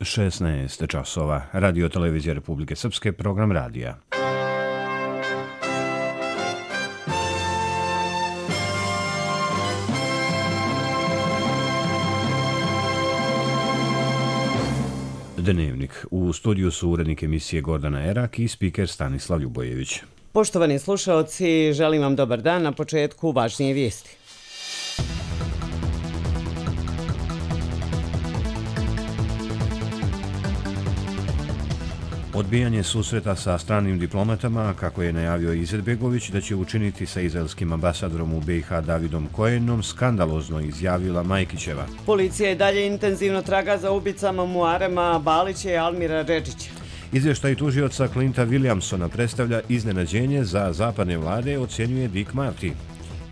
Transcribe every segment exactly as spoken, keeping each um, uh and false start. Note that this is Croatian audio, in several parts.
šesnaest časova. Radio televizija Republike Srpske, program radija. Dnevnik. U studiju su urednik emisije Gordana Erak i spiker Stanislav Ljubojević. Poštovani slušaoci, želim vam dobar dan. Na početku važnije vijesti. Odbijanje susreta sa stranim diplomatama, kako je najavio Izetbegović da će učiniti sa izraelskim ambasadorom u B i H Davidom Kojenom, skandalozno izjavila Majkićeva. Policija i dalje intenzivno traga za ubicama Muarema Balića i Almira Redžića. Izvještaj tužioca Clinta Williamsona predstavlja iznenađenje za zapadne vlade, ocjenjuje Dick Marty.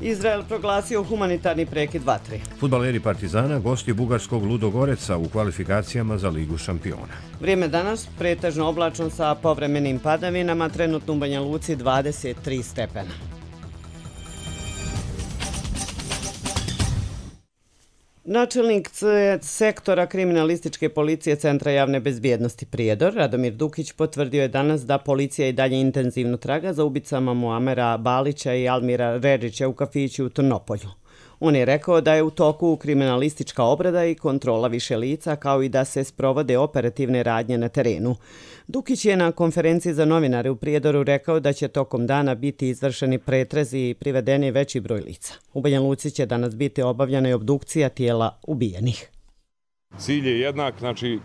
Izrael proglasio humanitarni prekid vatre. Fudbaleri Partizana gosti bugarskog Ludogoreca u kvalifikacijama za Ligu šampiona. Vrijeme danas pretežno oblačno sa povremenim padavinama, trenutno u Banja Luci dvadeset tri stepena. Načelnik sektora kriminalističke policije Centra javne bezbjednosti Prijedor, Radomir Dukić, potvrdio je danas da policija i dalje intenzivno traga za ubicama Muamera Balića i Almira Redžića u kafiću u Trnopolju. On je rekao da je u toku kriminalistička obrada i kontrola više lica, kao i da se sprovode operativne radnje na terenu. Dukić je na konferenciji za novinare u Prijedoru rekao da će tokom dana biti izvršeni pretrezi i privedeni veći broj lica. U Banja Luci će danas biti obavljena i obdukcija tijela ubijenih. Cilj je jednak, znači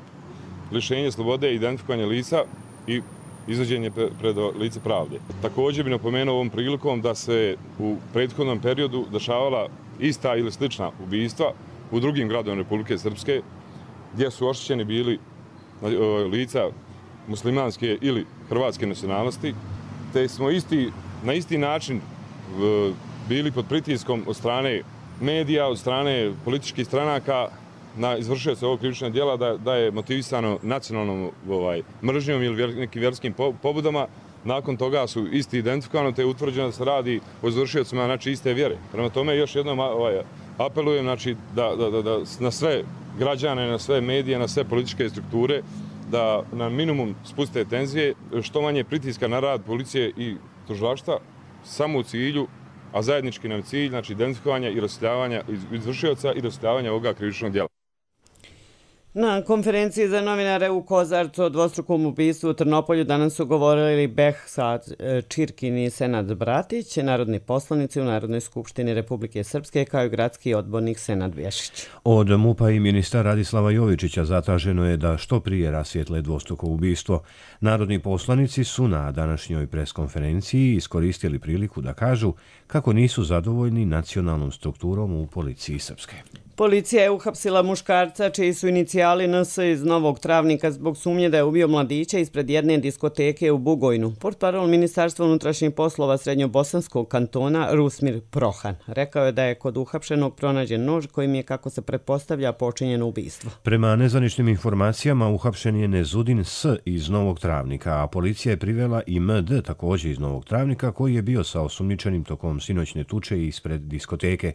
lišenje slobode, identifikovanje lica i izvođenje pred lice pravde. Također bi napomenuo ovom prilikom da se u prethodnom periodu dešavala ista ili slična ubijstva u drugim gradovima Republike Srpske, gdje su oštećeni bili lica muslimanske ili hrvatske nacionalnosti, te smo isti, na isti način bili pod pritiskom od strane medija, od strane političkih stranaka na izvršioca ovog krivičnog djela da, da je motivisano nacionalnom ovaj, mržnjom ili vjer, nekim vjerskim pobudama. Nakon toga su isti identifikovano, te je utvrđeno da se radi o izvršiocima, znači, iste vjere. Prema tome još jednom ovaj, apelujem, znači, da, da, da, da na sve građane, na sve medije, na sve političke strukture, da na minimum spuste tenzije, što manje pritiska na rad policije i tužilaštva, samo u cilju, a zajednički nam cilj, znači identifikovanja i rasvjetljavanja izvršioca i rasvjetljavanja ovoga krivičnog djela. Na konferenciji za novinare u Kozarcu o dvostrukom ubistvu u Trnopolju danas su govorili Behzad Čirkin i Senad Bratić, narodni poslanici u Narodnoj skupštini Republike Srpske, kao i gradski odbornik Senad Vješić. Od MUP-a i ministra Radislava Jovičića zatraženo je da što prije rasvijetle dvostruko ubistvo. Narodni poslanici su na današnjoj preskonferenciji iskoristili priliku da kažu kako nisu zadovoljni nacionalnom strukturom u policiji Srpske. Policija je uhapsila muškarca čiji su inicijali N S iz Novog Travnika zbog sumnje da je ubio mladića ispred jedne diskoteke u Bugojnu. Portparol Ministarstva unutrašnjih poslova Srednjobosanskog kantona Rusmir Prohan rekao je da je kod uhapšenog pronađen nož kojim je, kako se pretpostavlja, počinjeno ubistvo. Prema nezvaničnim informacijama uhapšen je Nezudin S iz Novog Travnika, a policija je privela i M D također iz Novog Travnika koji je bio sa osumnjičenim tokom sinoćne tuče ispred diskoteke.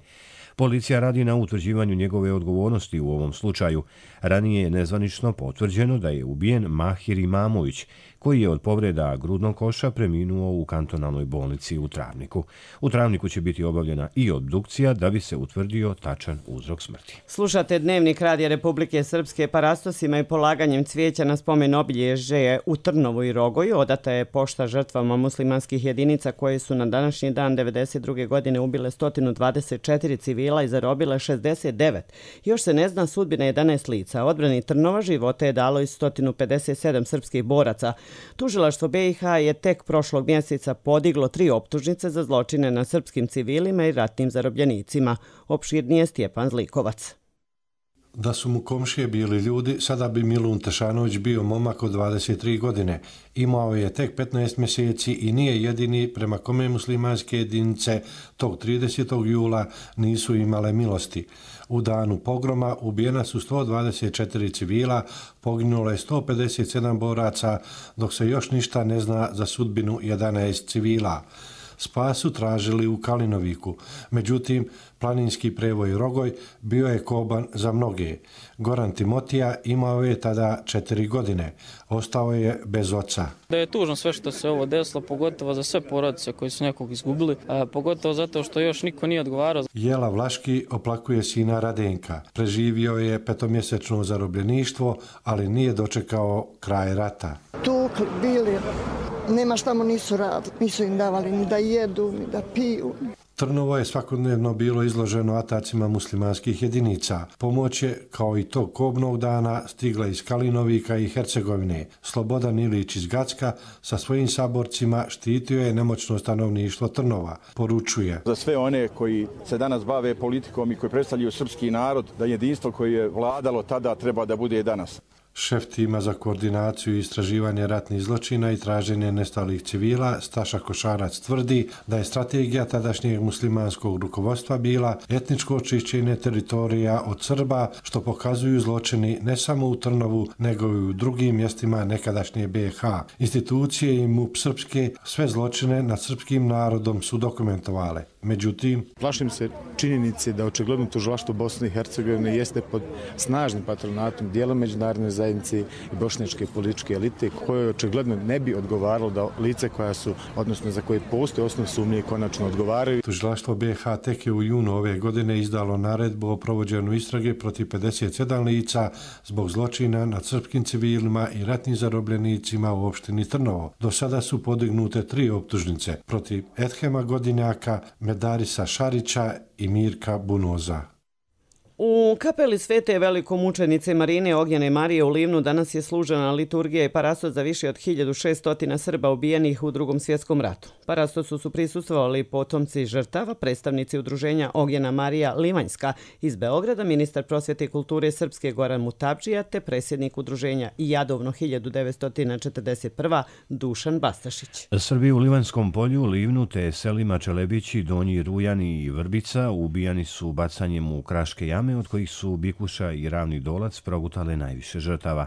Policija radi na utvrđivanju njegove odgovornosti u ovom slučaju. Ranije je nezvanično potvrđeno da je ubijen Mahir Imamović, koji je od povreda grudnog koša preminuo u kantonalnoj bolnici u Travniku. U Travniku će biti obavljena i obdukcija da bi se utvrdio tačan uzrok smrti. Slušate Dnevnik Radija Republike Srpske. Parastosima i polaganjem cvijeća na spomen obilježje u Trnovu i Rogoju odata je pošta žrtvama muslimanskih jedinica koje su na današnji dan devedeset druge godine ubile sto dvadeset četiri civila i zarobile šezdeset devet. Još se ne zna sudbina jedanaest lica. Odbrani Trnova živote je dalo i sto pedeset sedam srpskih boraca. Tužilaštvo B i H je tek prošlog mjeseca podiglo tri optužnice za zločine na srpskim civilima i ratnim zarobljenicima. Opširnije Stjepan Zlikovac. Da su mu komšije bili ljudi, sada bi Milun Tešanović bio momak od dvadeset tri godine. Imao je tek petnaest mjeseci i nije jedini prema kome muslimanske jedinice tog tridesetog jula nisu imale milosti. U danu pogroma ubijena su sto dvadeset četiri civila, poginulo je sto pedeset sedam boraca, dok se još ništa ne zna za sudbinu jedanaest civila. spas su tražili u Kalinoviku. Međutim, planinski prevoj Rogoj bio je koban za mnoge. Goran Timotija imao je tada četiri godine. Ostao je bez oca. Da je tužno sve što se ovo desilo, pogotovo za sve porodice koji su nekog izgubili, a pogotovo zato što još niko nije odgovarao. Jela Vlaški oplakuje sina Radenka. Preživio je petomjesečno zarobljeništvo, ali nije dočekao kraj rata. Tukli, bili, nema šta mu nisu radili, nisu im davali ni da jedu, ni da piju. Trnovo je svakodnevno bilo izloženo atacima muslimanskih jedinica. Pomoć je, kao i tog kobnog dana, stigla iz Kalinovika i Hercegovine. Slobodan Ilić iz Gacka sa svojim saborcima štitio je nemoćno stanovništvo Trnova. Poručuje: za sve one koji se danas bave politikom i koji predstavljaju srpski narod, da jedinstvo koje je vladalo tada treba da bude i danas. Šef tima za koordinaciju i istraživanje ratnih zločina i traženje nestalih civila, Staša Košarac, tvrdi da je strategija tadašnjeg muslimanskog rukovodstva bila etničko očišćenje teritorija od Srba, što pokazuju zločini ne samo u Trnovu, nego i u drugim mjestima nekadašnje B i H. Institucije i M U P srpske sve zločine nad srpskim narodom su dokumentovale. Međutim, plašim se činjenice da očigledno tužilaštvo Bosne i Hercegovine jeste pod snažnim patronatom dijela međunarodne zajednice i bošnjačke političke elite, koje očigledno ne bi odgovaralo da lice koja su, odnosno za koje postoje osnov sumnje, konačno odgovaraju. Tužilaštvo B i H tek je u junu ove godine izdalo naredbu o provođenju istrage protiv pedeset sedam lica zbog zločina nad srpskim civilima i ratnim zarobljenicima u opštini Trnovo. Do sada su podignute tri optužnice protiv Edhema Godinjaka, Medarisa Šarića i Mirka Bunoza. U kapeli Svete velikomučenice Marine Ognjene Marije u Livnu danas je služena liturgija i parastos za više od hiljadu šesto Srba ubijenih u Drugom svjetskom ratu. Parastosu su prisustvovali potomci žrtava, predstavnici udruženja Ognjena Marija Livanjska iz Beograda, ministar prosvjete i kulture Srpske Goran Mutabdžija te predsjednik udruženja Jadovno hiljadu devetsto četrdeset prva Dušan Bastašić. Srbi u Livanjskom polju, Livnu te selima Čelebići, Donji Rujani i Vrbica ubijani su bacanjem u kraške jame, od kojih su Bikuša i Ravni Dolac progutale najviše žrtava.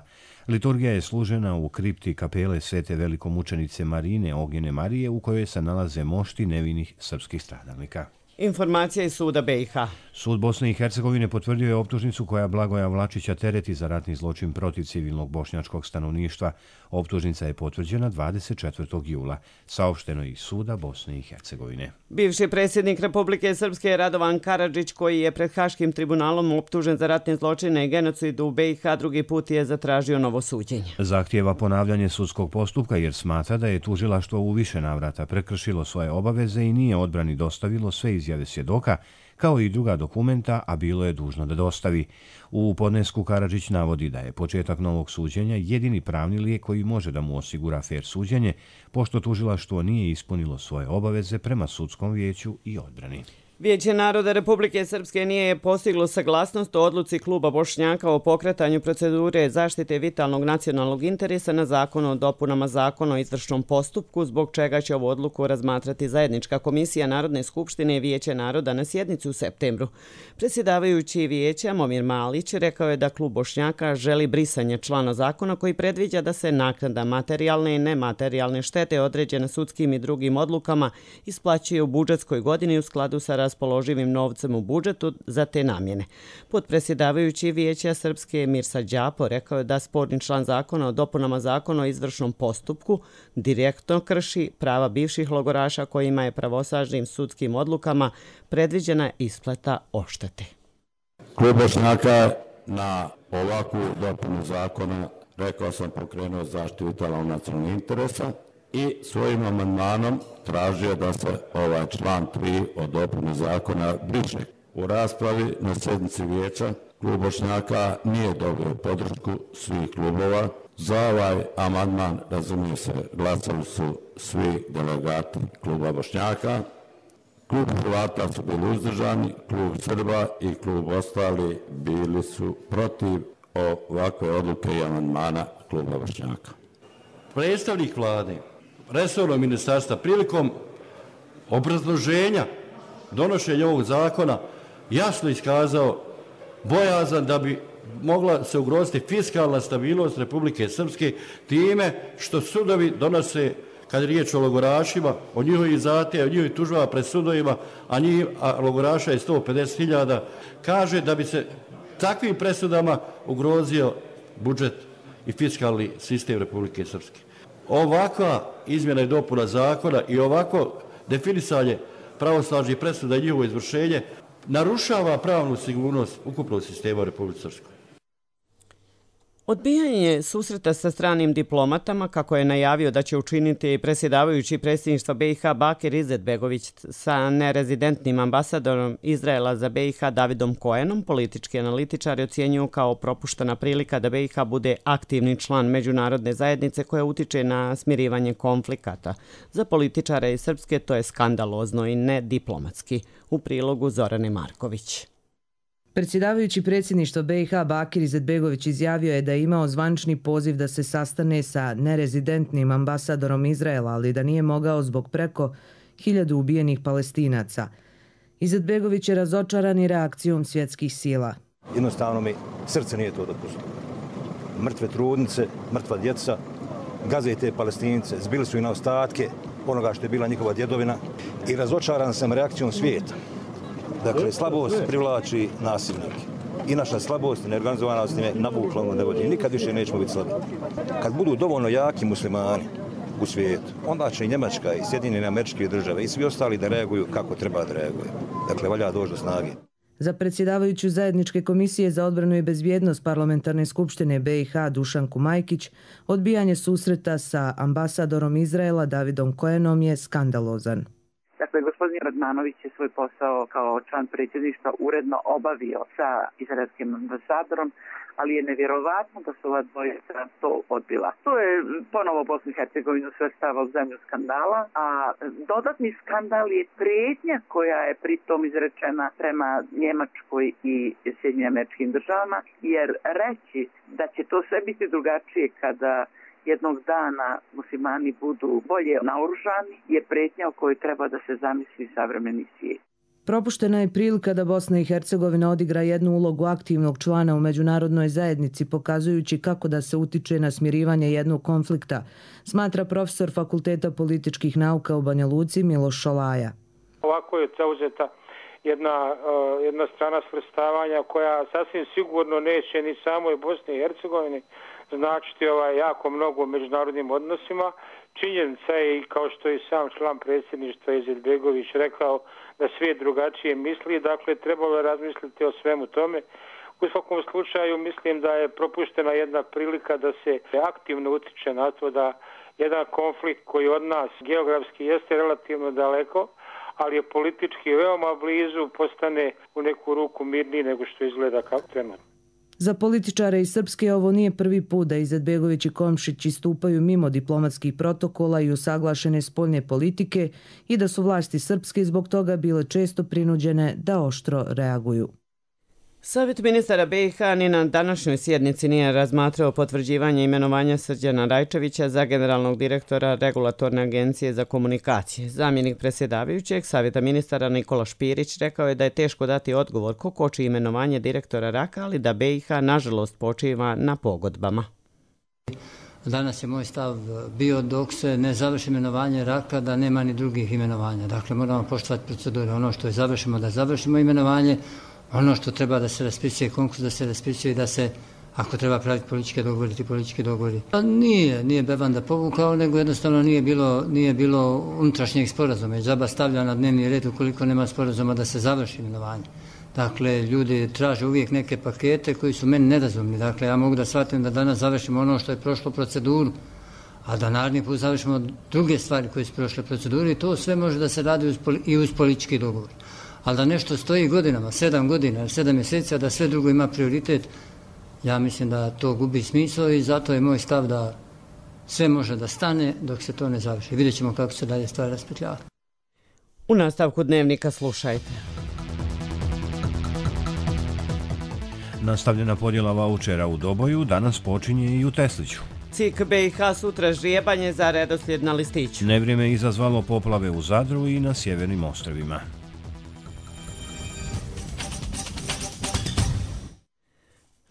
Liturgija je služena u kripti kapele Svete velikomučenice Marine Ognjene Marije, u kojoj se nalaze mošti nevinih srpskih stradalnika. Informacija iz suda B i H. Sud Bosne i Hercegovine potvrdio je optužnicu koja Blagoja Vlačića tereti za ratni zločin protiv civilnog bošnjačkog stanovništva. Optužnica je potvrđena dvadeset četvrtog jula. Saopšteno iz suda Bosne i Hercegovine. Bivši predsjednik Republike Srpske Radovan Karadžić, koji je pred Haškim tribunalom optužen za ratne zločine i genocid u B i H, drugi put je zatražio novo suđenje. Zahtijeva ponavljanje sudskog postupka jer smatra da je tužilaštvo u više navrata prekršilo svoje obaveze i nije odbrani dostavilo sve izjave svjedoka, kao i druga dokumenta, a bilo je dužno da dostavi. U podnesku Karadžić navodi da je početak novog suđenja jedini pravni lijek koji može da mu osigura fer suđenje, pošto tužilaštvo nije ispunilo svoje obaveze prema sudskom vijeću i odbrani. Vijeće naroda Republike Srpske nije postiglo saglasnost o odluci kluba Bošnjaka o pokretanju procedure zaštite vitalnog nacionalnog interesa na zakon o dopunama zakona o izvršnom postupku, zbog čega će ovu odluku razmatrati zajednička komisija Narodne skupštine i Vijeća naroda na sjednici u septembru. Predsjedavajući vijeća Momir Malić rekao je da klub Bošnjaka želi brisanje člana zakona koji predviđa da se naknada materijalne i nematerijalne štete određene sudskim i drugim odlukama isplaćuje u budžetskoj godini u skladu sa raspoloživim novcem u budžetu za te namjene. Podpredsjedavajući vijeća Srpske Mirsa Đapo rekao je da sporni član zakona o dopunama zakona o izvršnom postupku direktno krši prava bivših logoraša kojima je pravosažnim sudskim odlukama predviđena isplata odštete. Klub Bošnjaka na ovakvu dopunu zakona, rekao sam, pokrenuo zaštitu vitalnog nacionalnog interesa i svojim amandmanom tražio da se ovaj član tri o dopuni zakona briše. U raspravi na sjednici vijeća klub Bošnjaka nije dobio podršku svih klubova. Za ovaj amandman, razumije se, glasali su svi delegati kluba Bošnjaka. Klub Hrvata su bili uzdržani, klub Srba i klub ostali bili su protiv ovakve odluke i amandmana kluba Bošnjaka. Predstavnik vlade, resornog ministarstva, prilikom obrazloženja donošenja ovog zakona jasno iskazao bojazan da bi mogla se ugroziti fiskalna stabilnost Republike Srpske time što sudovi donose kad je riječ o logorašima, o njihovih zahtjeva, o njihovih tužbama pred sudovima, a, njih, a logoraša je sto pedeset hiljada, kaže da bi se takvim presudama ugrozio budžet i fiskalni sistem Republike Srpske. Ovakva izmjena i dopuna zakona i ovako definisanje pravosnažnih presuda i njihovo izvršenje narušava pravnu sigurnost ukupnog sistema u Republike Srpskoj. Odbijanje susreta sa stranim diplomatama, kako je najavio da će učiniti predsjedavajući predsjedništva B i H Bakir Izetbegović sa nerezidentnim ambasadorom Izraela za B i H Davidom Koenom, politički analitičari ocjenjuju kao propuštena prilika da B i H bude aktivni član međunarodne zajednice koja utiče na smirivanje konflikata. Za političare iz Srpske to je skandalozno i ne diplomatski. U prilogu Zorane Marković. Predsjedavajući predsjedništva B i H Bakir Izetbegović izjavio je da je imao zvančni poziv da se sastane sa nerezidentnim ambasadorom Izraela, ali da nije mogao zbog preko hiljadu ubijenih Palestinaca. Izetbegović je razočaran i reakcijom svjetskih sila. Jednostavno mi srce nije to dopustilo. Mrtve trudnice, mrtva djeca, gaze te Palestince, zbili su i na ostatke onoga što je bila njihova djedovina i razočaran sam reakcijom svijeta. Dakle, slabost privlači nasilnike. I naša slabost i neorganizovanost je navukla ono ne vodi. Nikad više nećemo biti slabi. Kad budu dovoljno jaki muslimani u svijetu, onda će i Njemačka i Sjedinjene Američke Države i svi ostali da reaguju kako treba da reaguju. Dakle, valja doći do snage. Za predsjedavajuću zajedničke komisije za odbranu i bezbjednost Parlamentarne skupštine B i H Dušanku Majkić, odbijanje susreta sa ambasadorom Izraela Davidom Koenom je skandalozan. Dakle, gospodin Radmanović je svoj posao kao član predsjedništva uredno obavio sa izraelskim ambasadorom, ali je nevjerovatno da su ova dvojica to odbila. To je ponovo Bosnu i Hercegovinu svrstava u zemlju skandala, a dodatni skandal je prijetnja koja je pritom izrečena prema Njemačkoj i Sjedinjenim Američkim Državama, jer reći da će to sve biti drugačije kada jednog dana muslimani budu bolje naoružani je prijetnja o kojoj treba da se zamisli savremeni svijet. Propuštena je prilika da Bosna i Hercegovina odigra jednu ulogu aktivnog člana u međunarodnoj zajednici, pokazujući kako da se utiče na smirivanje jednog konflikta, smatra profesor Fakulteta političkih nauka u Banja Luci Miloš Šolaja. Ovako je zauzeta jedna, uh, jedna strana svrstavanja koja sasvim sigurno neće ni samoj Bosni i Hercegovini značiti ovaj jako mnogo u međunarodnim odnosima. Činjenica je, i kao što je sam član predsjedništva Izetbegović rekao, da svijet drugačije misli, dakle trebalo je razmisliti o svemu tome. U svakom slučaju mislim da je propuštena jedna prilika da se aktivno utiče na to da jedan konflikt koji od nas geografski jeste relativno daleko, ali je politički veoma blizu, postane u neku ruku mirniji nego što izgleda kao trenutno. Za političare iz Srpske ovo nije prvi put da Izetbegović i Komšić istupaju mimo diplomatskih protokola i usaglašene spoljne politike i da su vlasti Srpske zbog toga bile često prinuđene da oštro reaguju. Savjet ministara B i H ni na današnjoj sjednici nije razmatrao potvrđivanje imenovanja Srđana Rajčevića za generalnog direktora Regulatorne agencije za komunikacije. Zamjenik predsjedavajućeg Savjeta ministara Nikola Špirić rekao je da je teško dati odgovor ko koči imenovanje direktora R A K-a, ali da B i H nažalost počiva na pogodbama. Danas je moj stav bio dok se ne završi imenovanje R A K-a da nema ni drugih imenovanja. Dakle, moramo poštovati procedure. Ono što je završimo, da završimo imenovanje. Ono što treba da se raspisuje konkurs, da se raspisuje i da se, ako treba praviti političke dogovori, ti politički dogovori. Nije, nije Bevanda povukao, nego jednostavno nije bilo, nije bilo unutrašnjeg sporazuma. Džaba stavlja na dnevni red ukoliko nema sporazuma da se završi imenovanje. Dakle, ljudi traže uvijek neke pakete koji su meni nerazumni. Dakle, ja mogu da shvatim da danas završimo ono što je prošlo proceduru, a da naredni put završimo druge stvari koje su prošle proceduru i to sve može da se radi uz, i uz politički dogovor. Ali da nešto stoji godinama, sedam godina, sedam mjeseci, a da sve drugo ima prioritet, ja mislim da to gubi smisao i zato je moj stav da sve može da stane dok se to ne završi. Vidjet ćemo kako se dalje stvari raspetljava. U nastavku dnevnika slušajte. Nastavljena podjela vaučera u Doboju danas počinje i u Tesliću. C I K B i H sutra žrijebanje za redoslijed na listiću. Nevrijeme je izazvalo poplave u Zadru i na sjevernim ostrvima.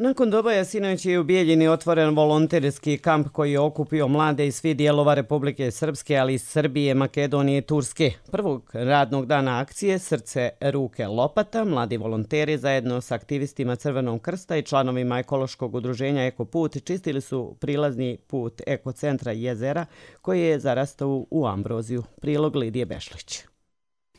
Nakon doboja sinoć je u Bijeljini otvoren volonterski kamp koji je okupio mlade iz svih dijelova Republike Srpske, ali i Srbije, Makedonije i Turske. Prvog radnog dana akcije Srce, ruke, lopata, mladi volonteri zajedno s aktivistima Crvenog krsta i članovima ekološkog udruženja Ekoput čistili su prilazni put ekocentra Jezera koji je zarastao u ambroziju. Prilog Lidije Bešlić.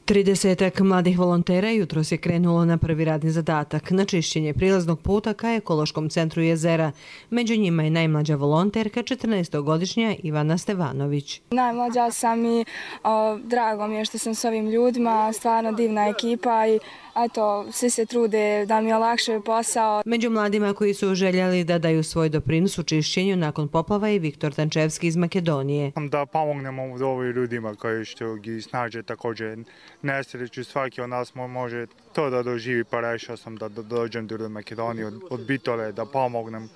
Tridesetak mladih volontera jutros je krenulo na prvi radni zadatak, na čišćenje prilaznog puta ka ekološkom centru Jezera. Među njima je najmlađa volonterka, četrnaestogodišnja Ivana Stevanović. Najmlađa sam i o, drago mi je što sam s ovim ljudima, stvarno divna ekipa i eto, svi se trude da mi olakšaju posao. Među mladima koji su željeli da daju svoj doprinos u čišćenju nakon poplava i Viktor Tančevski iz Makedonije. Da pomognemo ovim ljudima koji što gi snaže također nesreću, svaki od nas može to da doživi, pa rešao sam da dođem do Makedonije od Bitole, da pomognem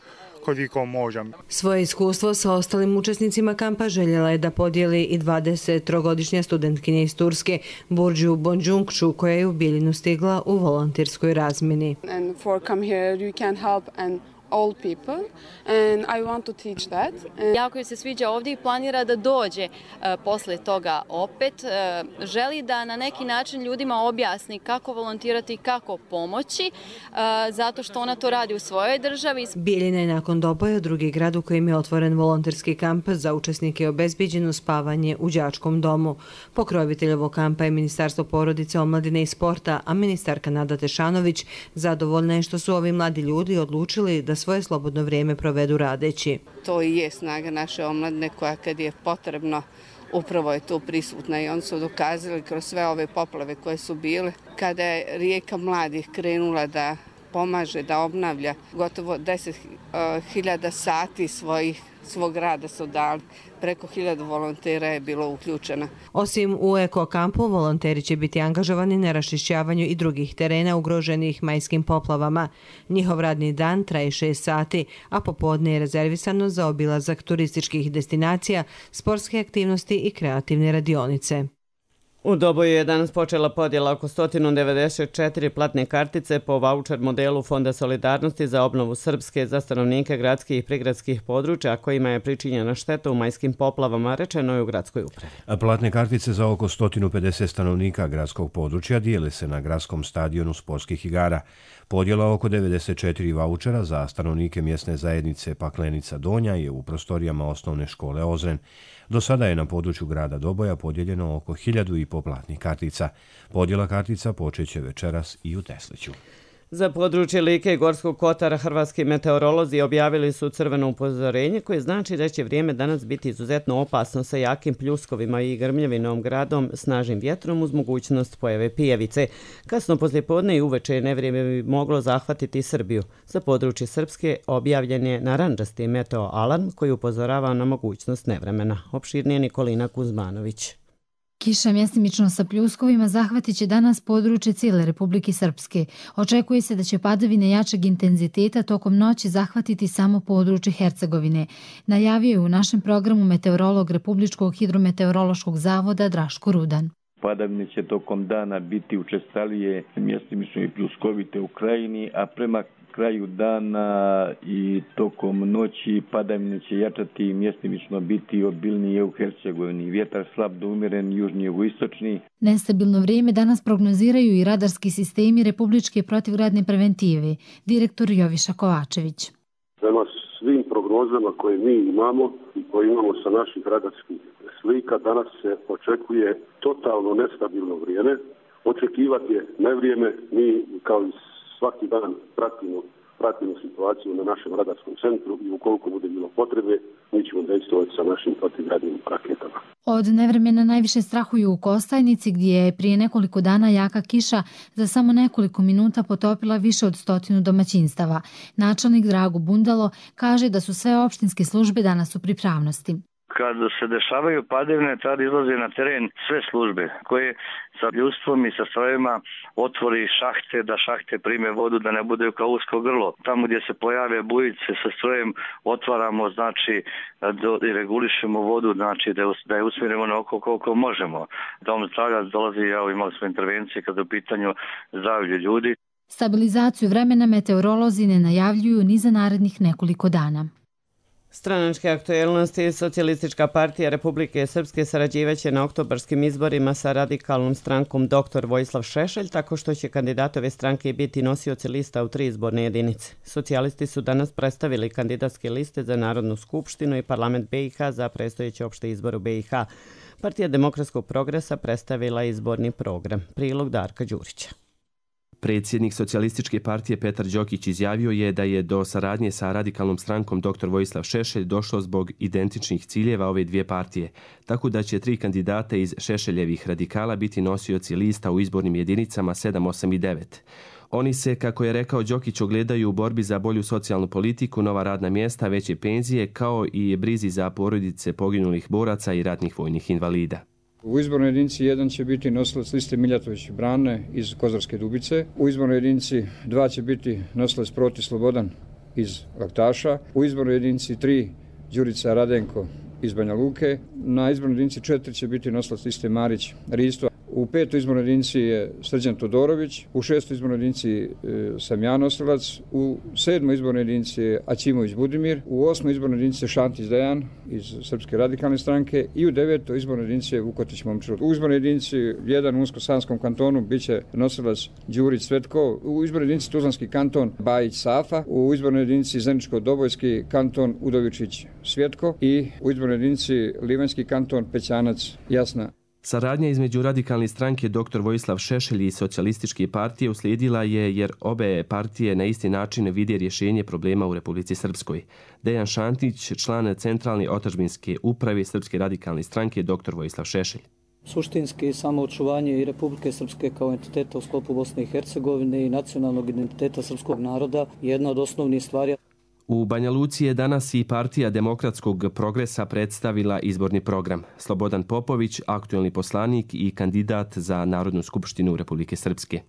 koliko možem. Svoje iskustvo sa ostalim učesnicima kampa željela je da podijeli i dvadesettrogodišnja studentkinja iz Turske, Burđu Bonđunkču, koja je u Bijeljinu stigla u volonterskoj razmini. And for come here you can help and all people and I want to teach that. And jako joj se sviđa ovdje i planira da dođe uh, posle toga opet. Uh, želi da na neki način ljudima objasni kako volontirati i kako pomoći, uh, zato što ona to radi u svojoj državi. Bijeljina je nakon doboja drugi grad u kojem je otvoren volonterski kamp za učesnike obezbeđeno spavanje u đačkom domu. Pokrovitelj ovog kampa je Ministarstvo porodice, omladine i sporta, a ministarka Nada Tešanović zadovoljna je što su ovi mladi ljudi odlučili da svoje slobodno vrijeme provedu radeći. To i je snaga naše omladine koja kad je potrebno upravo je tu prisutna i oni su dokazali kroz sve ove poplave koje su bile. Kada je Rijeka mladih krenula da pomaže, da obnavlja, gotovo deset hiljada sati svojih svog rada su dali. Preko hiljadu volontera je bilo uključeno. Osim u eko-kampu, volonteri će biti angažovani na raščišćavanju i drugih terena ugroženih majskim poplavama. Njihov radni dan traje šest sati, a popodne je rezervisano za obilazak turističkih destinacija, sportske aktivnosti i kreativne radionice. U Doboju je danas počela podjela oko sto devedeset četiri platne kartice po vaučer modelu Fonda solidarnosti za obnovu Srpske za stanovnike gradskih i prigradskih područja kojima je pričinjena šteta u majskim poplavama, rečeno je u gradskoj upravi. Platne kartice za oko sto pedeset stanovnika gradskog područja dijele se na gradskom stadionu sportskih igara. Podjela oko devedeset četiri vaučera za stanovnike mjesne zajednice Paklenica Donja je u prostorijama osnovne škole Ozren. Do sada je na području grada Doboja podijeljeno oko hiljadu i po platnih kartica. Podjela kartica počeće večeras i u Tesliću. Za područje Like i Gorskog Kotara hrvatski meteorolozi objavili su crveno upozorenje koje znači da će vrijeme danas biti izuzetno opasno sa jakim pljuskovima i grmljavinom gradom, snažnim vjetrom uz mogućnost pojave pijevice. Kasno poslijepodne i uveče nevrijeme bi moglo zahvatiti Srbiju. Za područje Srpske objavljen je narandžasti meteo alarm koji upozorava na mogućnost nevremena. Opširnije Nikolina Kuzmanović. Kiša mjestimično sa pljuskovima zahvatit će danas područje cijele Republike Srpske. Očekuje se da će padavine jačeg intenziteta tokom noći zahvatiti samo područje Hercegovine. Najavio je u našem programu meteorolog Republičkog hidrometeorološkog zavoda Draško Rudan. Padavine će tokom dana biti učestalije, mjestimično i pljuskovite u krajini, a prema kraju dana i tokom noći padavine će jačati i mjestimično biti obilnije u Hercegovini. Vjetar slab do umjeren južni jugoistočni. Nestabilno vrijeme danas prognoziraju i radarski sistemi Republičke protivgradne preventive, direktor Joviša Kovačević. Prema svim prognozama koje mi imamo i koje imamo sa naših radarskih slika, danas se očekuje totalno nestabilno vrijeme. Očekivati je nevrijeme, mi kao i svaki dan pratimo, pratimo situaciju na našem radarskom centru i ukoliko bude bilo potrebe, mi ćemo dejstvovati sa našim protivgradnim raketama. Od nevremena najviše strahuju u Kostajnici gdje je prije nekoliko dana jaka kiša za samo nekoliko minuta potopila više od stotinu domaćinstava. Načelnik Drago Bundalo kaže da su sve opštinske službe danas u pripravnosti. Kad se dešavaju padavine, tada izlaze na teren sve službe koje sa ljudstvom i sa strojevima otvori šahte, da šahte prime vodu, da ne bude kao usko grlo. Tamo gdje se pojave bujice sa strojem otvaramo, znači do, i regulišemo vodu, znači da je, da je usmjerimo na oko koliko možemo. Dom zdravlja dolazi, ja imali smo intervencije kada je u pitanju zdravlje ljudi. Stabilizaciju vremena meteorolozi ne najavljuju ni za narednih nekoliko dana. Stranačke aktuelnosti. Socijalistička partija Republike Srpske sarađivaće na oktobarskim izborima sa radikalnom strankom doktor Vojislav Šešelj, tako što će kandidatove stranke biti nosioci lista u tri izborne jedinice. Socijalisti su danas predstavili kandidatske liste za Narodnu skupštinu i parlament B i H za predstojeće opšte izbore u B i H. Partija demokratskog progresa predstavila izborni program. Prilog Darka Đurića. Predsjednik Socijalističke partije Petar Đokić izjavio je da je do saradnje sa radikalnom strankom doktor Vojislav Šešelj došlo zbog identičnih ciljeva ove dvije partije, tako da će tri kandidata iz Šešeljevih radikala biti nosioci lista u izbornim jedinicama sedam, osam i devet. Oni se, kako je rekao Đokić, ogledaju u borbi za bolju socijalnu politiku, nova radna mjesta, veće penzije, kao i brizi za porodice poginulih boraca i ratnih vojnih invalida. U izbornoj jedinici jedan će biti nosilac liste Miljatović Brane iz Kozarske Dubice. U izbornoj jedinici dva će biti nosilac Proti Slobodan iz Laktaša. U izbornoj jedinici tri Đurica Radenko iz Banja Luke. Na izbornoj jedinici četiri će biti nosilac liste Marić Risto. U petoj izbornoj jedinici je Srđan Todorović, u šestoj izbornoj jedinici e, sam ja nosilac, u sedmoj izbornoj jedinici je Aćimović Budimir, u osmoj izbornoj jedinici je Šantić Dejan iz Srpske radikalne stranke i u devetoj izbornoj jedinici je Vukotić Momčilo. U izbornoj jedinici jedan u Unsko-Sanskom kantonu biće nosilac Đurić Svetko, u izbornoj jedinici Tuzlanski kanton Bajić Safa, u izbornoj jedinici Zeničko-Dobojski kanton Udovičić Svjetko i u izbornoj jedinici Livanjski kanton Pećanac Jasna. Saradnja između radikalne stranke doktor Vojislav Šešelj i Socijalističke partije uslijedila je jer obe partije na isti način vide rješenje problema u Republici Srpskoj. Dejan Šantić, član centralne otadžbinske uprave Srpske radikalne stranke doktor Vojislav Šešelj. Suštinski samo očuvanje i Republike Srpske kao entiteta u sklopu Bosne i Hercegovine i nacionalnog identiteta srpskog naroda je jedna od osnovnih stvari. U Banja Luci je danas i partija demokratskog progresa predstavila izborni program. Slobodan Popović, aktuelni poslanik i kandidat za Narodnu skupštinu Republike Srpske.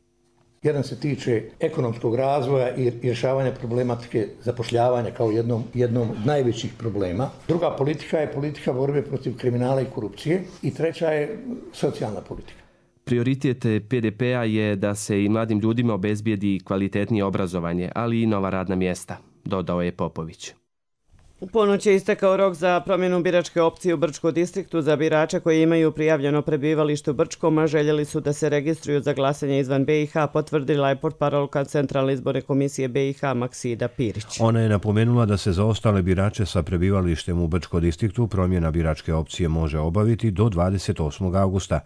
Jedan se tiče ekonomskog razvoja i rješavanja problematike zapošljavanja kao jednom, jednom od najvećih problema. Druga politika je politika borbe protiv kriminala i korupcije i treća je socijalna politika. Prioritet P D P-a je da se i mladim ljudima obezbijedi kvalitetnije obrazovanje, ali i nova radna mjesta, dodao je Popović. U ponoć je istekao rok za promjenu biračke opcije u Brčkom distriktu za birače koji imaju prijavljeno prebivalište u Brčkom, a željeli su da se registruju za glasanje izvan B i H, potvrdila je portparolka Centralne izborne komisije B i H Maksida Pirić. Ona je napomenula da se za ostale birače sa prebivalištem u Brčkom distriktu promjena biračke opcije može obaviti do dvadeset osmog augusta.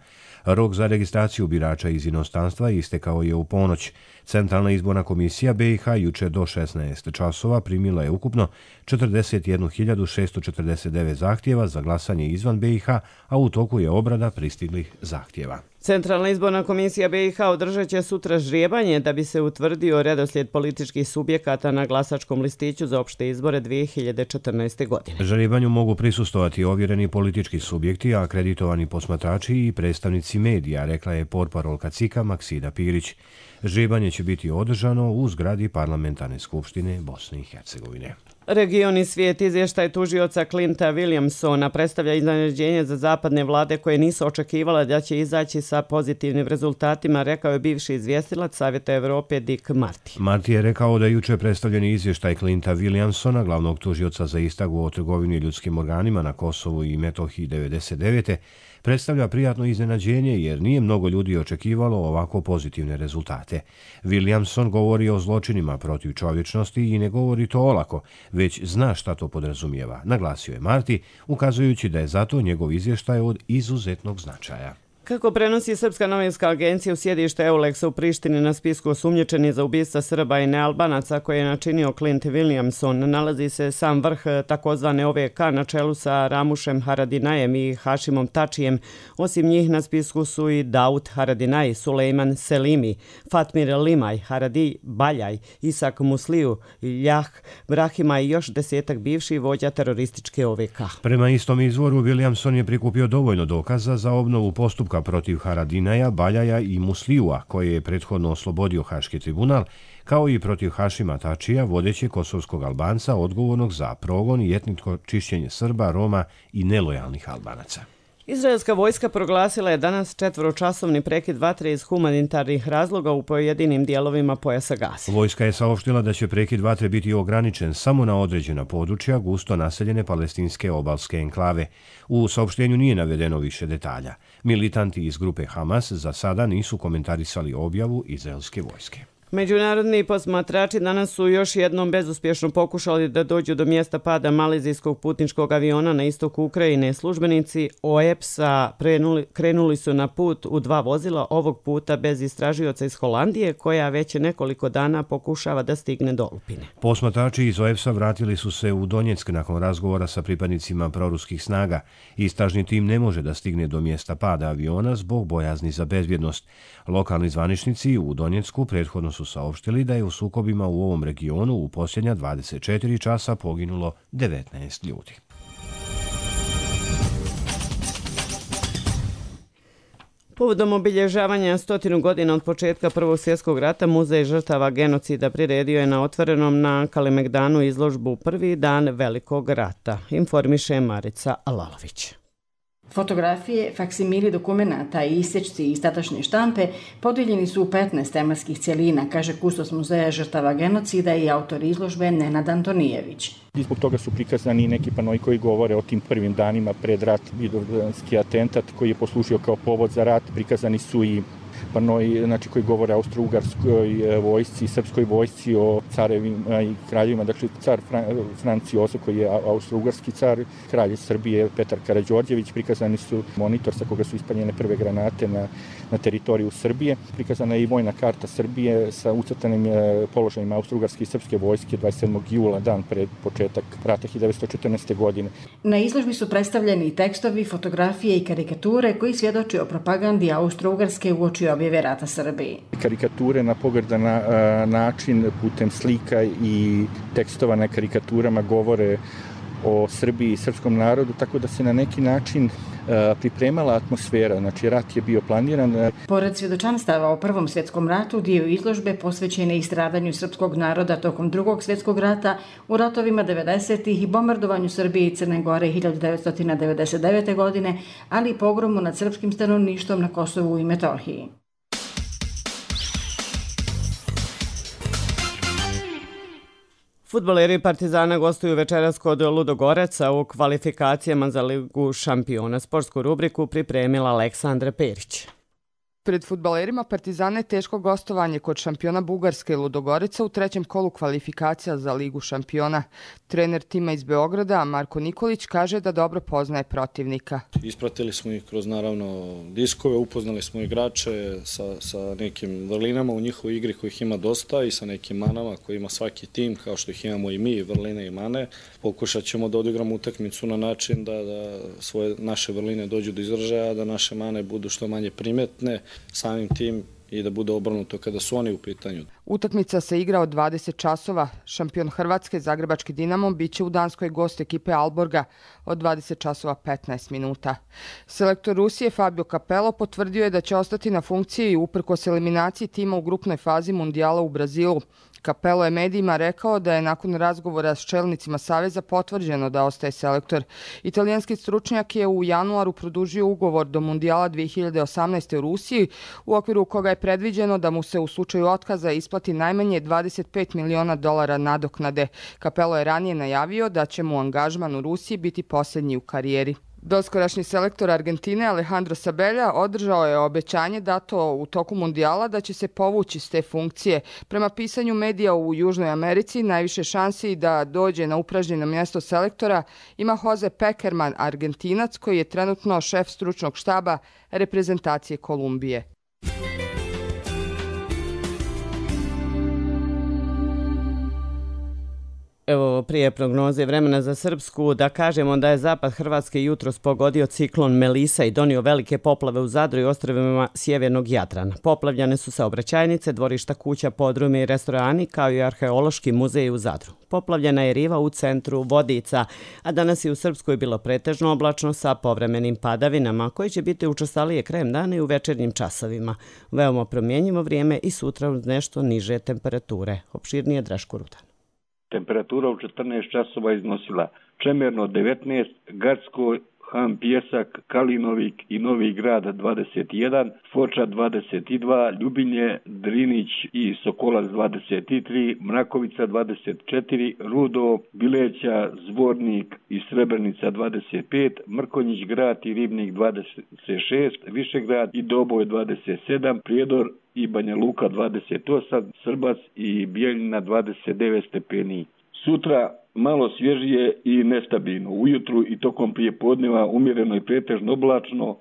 Rok za registraciju birača iz inostranstva istekao je u ponoć. Centralna izborna komisija B i H juče do šesnaest časova primila je ukupno četrdeset jednu hiljadu šesto četrdeset devet zahtjeva za glasanje izvan B i H, a u toku je obrada pristiglih zahtjeva. Centralna izborna komisija B i H održat će sutra ždrijebanje da bi se utvrdio redoslijed političkih subjekata na glasačkom listiću za opšte izbore dvije hiljade četrnaeste. godine. Ždrijebanju mogu prisustovati ovjereni politički subjekti, akreditovani posmatrači i predstavnici medija, rekla je portparolka C I K-a Maksida Pirić. Ždrijebanje će biti održano u zgradi Parlamentarne skupštine Bosne i Hercegovine. Regioni svijet izvještaj tužioca Clinta Williamsona predstavlja iznenađenje za zapadne vlade koje nisu očekivale da će izaći sa pozitivnim rezultatima, rekao je bivši izvjestilac Savjeta Evrope Dick Marty. Marty je rekao da juče predstavljeni izvještaj Clinta Williamsona, glavnog tužioca za istragu o trgovini ljudskim organima na Kosovu i Metohiji devedeset devete. predstavlja prijatno iznenađenje jer nije mnogo ljudi očekivalo ovako pozitivne rezultate. Williamson govori o zločinima protiv čovječnosti i ne govori to olako, već zna šta to podrazumijeva, naglasio je Marty, ukazujući da je zato njegov izvještaj od izuzetnog značaja. Kako prenosi Srpska novinska agencija, u sjedište Euleksa u Prištini na spisku osumnjičeni za ubistva Srba i nealbanaca koje je načinio Clint Williamson nalazi se sam vrh takozvane O V K na čelu sa Ramušem Haradinajem i Hašimom Tačijem. Osim njih na spisku su i Daud Haradinaj, Sulejman Selimi, Fatmir Limaj, Haradi Baljaj, Isak Musliju, Ljah Brahima i još desetak bivših vođa terorističke O V K. Prema istom izvoru, Williamson je prikupio dovoljno dokaza za obnovu postupka protiv Haradinaja, Baljaja i Muslijua, koje je prethodno oslobodio Haški tribunal, kao i protiv Hašima Tačija, vodećeg kosovskog Albanca odgovornog za progon i etničko čišćenje Srba, Roma i nelojalnih Albanaca. Izraelska vojska proglasila je danas četvoročasovni prekid vatre iz humanitarnih razloga u pojedinim dijelovima pojasa Gaze. Vojska je saopštila da će prekid vatre biti ograničen samo na određena područja gusto naseljene palestinske obalske enklave. U saopštenju nije navedeno više detalja. Militanti iz grupe Hamas za sada nisu komentarisali objavu izraelske vojske. Međunarodni posmatrači danas su još jednom bezuspješno pokušali da dođu do mjesta pada malezijskog putničkog aviona na istoku Ukrajine. Službenici O E P S-a krenuli su na put u dva vozila, ovog puta bez istražioca iz Holandije, koja već nekoliko dana pokušava da stigne do Lupine. Posmatrači iz O E P S-a vratili su se u Donjeck nakon razgovora sa pripadnicima proruskih snaga. Istražni tim ne može da stigne do mjesta pada aviona zbog bojazni za bezbjednost. Lokalni zvaničnici u Donjecku prethodno su saopštili da je u sukobima u ovom regionu u posljednja dvadeset četiri časa poginulo devetnaest ljudi. Povodom obilježavanja stotinu godina od početka Prvog svjetskog rata, Muzej žrtava genocida priredio je na otvorenom na Kalemegdanu izložbu Prvi dan Velikog rata, informiše Marica Alalović. Fotografije, faksimili dokumenata i isječci iz tadašnje štampe podijeljeni su u petnaest tematskih cjelina, kaže kustos Muzeja žrtava genocida i autor izložbe Nenad Antonijević. I zbog toga su prikazani neki panoi koji govore o tim prvim danima pred rat, vidovdanski atentat koji je poslužio kao povod za rat. Prikazani su i panoi, znači, koji govore o austro-ugarskoj vojsci, srpskoj vojsci, o carevima i kraljevima. Dakle, car Franc Josef koji je austro-ugarski car, kralj Srbije Petar Karađorđević. Prikazani su monitor sa koga su ispaljene prve granate na, na teritoriju Srbije. Prikazana je i vojna karta Srbije sa ucrtanim položajima austro-ugarske i srpske vojske dvadeset sedmog jula, dan pred početak rata hiljadu devetsto četrnaeste. godine. Na izložbi su predstavljeni i tekstovi, fotografije i karikature koji svjedoči o propagandi Austro-Ugarske uoči objave rata Srbiji. Karikature na pogrdan način putem slika i tekstova na karikaturama govore o Srbiji i srpskom narodu, tako da se na neki način pripremala atmosfera, znači rat je bio planiran. Pored svjedočanstava o Prvom svjetskom ratu, dio izložbe posvećen je i stradanju srpskog naroda tokom Drugog svjetskog rata, u ratovima devedesetih i bombardovanju Srbije i Crne Gore hiljadu devetsto devedeset devete. godine, ali i pogromu nad srpskim stanovništvom na Kosovu i Metohiji. Fudbaleri Partizana gostuju večeras kod Ludogoreca u kvalifikacijama za Ligu šampiona. Sportsku rubriku pripremila Aleksandra Perić. Pred fudbalerima Partizana je teško gostovanje kod šampiona Bugarske Ludogoreca u trećem kolu kvalifikacija za Ligu šampiona. Trener tima iz Beograda, Marko Nikolić, kaže da dobro poznaje protivnika. Ispratili smo ih kroz, naravno, diskove, upoznali smo igrače sa, sa nekim vrlinama u njihovoj igri kojih ima dosta i sa nekim manama koje ima svaki tim, kao što ih imamo i mi, vrline i mane. Pokušat ćemo da odigramo utakmicu na način da, da svoje naše vrline dođu do izražaja, da naše mane budu što manje primetne, samim tim i da bude obrnuto kada su oni u pitanju. Utakmica se igra od dvadeset časova. Šampion Hrvatske, Zagrebački Dinamo, biće u Danskoj gost ekipe Alborga od dvadeset časova petnaest minuta. Selektor Rusije Fabio Capello potvrdio je da će ostati na funkciji uprkos eliminaciji tima u grupnoj fazi Mundijala u Brazilu. Capello je medijima rekao da je nakon razgovora s čelnicima Saveza potvrđeno da ostaje selektor. Italijanski stručnjak je u januaru produžio ugovor do Mundijala dve hiljade osamnaeste. u Rusiji, u okviru koga je predviđeno da mu se u slučaju otkaza isplati najmanje dvadeset pet miliona dolara nadoknade. Capello je ranije najavio da će mu angažman u Rusiji biti posljednji u karijeri. Doskorašnji selektor Argentine Alejandro Sabella održao je obećanje dato u toku Mundijala da će se povući s te funkcije. Prema pisanju medija u Južnoj Americi, najviše šansi da dođe na upražnjeno mjesto selektora ima Jose Pekerman, Argentinac, koji je trenutno šef stručnog štaba reprezentacije Kolumbije. Evo prije prognoze vremena za Srpsku da kažemo da je zapad Hrvatske jutros pogodio ciklon Melisa i donio velike poplave u Zadru i ostrvima sjevernog Jadrana. Poplavljane su saobraćajnice, dvorišta kuća, podrumi i restorani, kao i arheološki muzej u Zadru. Poplavljena je riva u centru Vodica, a danas je u Srpskoj bilo pretežno oblačno sa povremenim padavinama, koji će biti učestalije krajem dana i u večernjim časovima. Veoma promjenjivo vrijeme i sutra uz nešto niže temperature. Opširnije Draško Rudan. Temperatura u četrnaest časova iznosila Čemerno devetnaest, Gacko, Han Pjesak, Kalinovik i Novi Grad dvadeset jedan, Foča dvadeset dva, Ljubinje, Drinić i Sokolac dvadeset tri, Mrakovica dvadeset četiri, Rudo, Bileća, Zvornik i Srebrenica dvadeset pet, Mrkonjić Grad i Ribnik dvadeset šest, Višegrad i Doboj dvadeset sedam, Prijedor i Banja Luka dvadeset osam, Srbac i Bijeljina dvadeset devet stepeni. Sutra malo svježije i nestabilno. Ujutru i tokom prijepodneva umjereno i pretežno oblačno,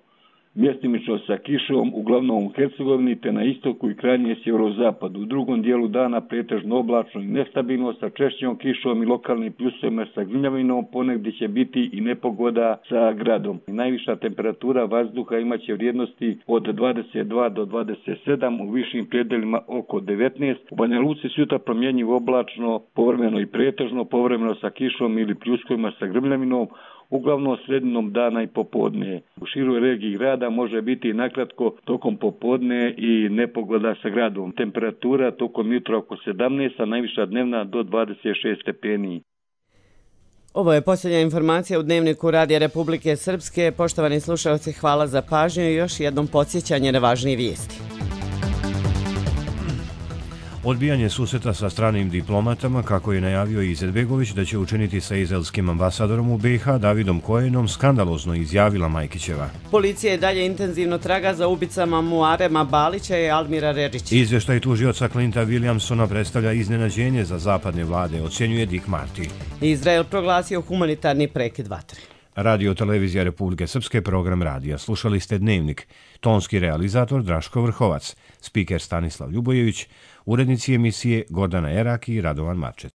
mjestimično sa kišom, uglavnom u Hercegovini te na istoku i krajnje sjeverozapadu. U drugom dijelu dana pretežno oblačno i nestabilno sa češćom kišom i lokalnim pljusovima sa gnjavinom, ponegdje će biti i nepogoda sa gradom. Najviša temperatura vazduha imaće vrijednosti od dvadeset dva do dvadeset sedam, u višim predelima oko devetnaest. U Banja Luci sutra promjenjivo oblačno, povremeno i pretežno, povremeno sa kišom ili pljuskovima sa grmljavinom, uglavnom sredinom dana i popodne. U široj regiji grada može biti nakratko tokom popodne i nepogoda sa gradom. Temperatura tokom jutra oko sedamnaest, a najviša dnevna do dvadeset šest stepeni. Ovo je posljednja informacija u Dnevniku Radija Republike Srpske. Poštovani slušalci, hvala za pažnju i još jednom podsjećanje na važnije vijesti. Odbijanje susreta sa stranim diplomatama, kako je najavio Izetbegović da će učiniti sa izraelskim ambasadorom u B i H Davidom Kojenom, skandalozno izjavila Majkićeva. Policija je dalje intenzivno traga za ubicama Muarema Balića i Almira Redžića. Izvještaj tužioca Clinta Williamsona predstavlja iznenađenje za zapadne vlade, ocjenjuje Dick Marty. Izrael proglasio humanitarni prekid vatre. Radio Televizija Republike Srpske, program radija. Slušali ste Dnevnik. Tonski realizator Draško Vrhovac, spiker Stanislav Ljubojević, urednici emisije Gordana Erak i Radovan Marčet.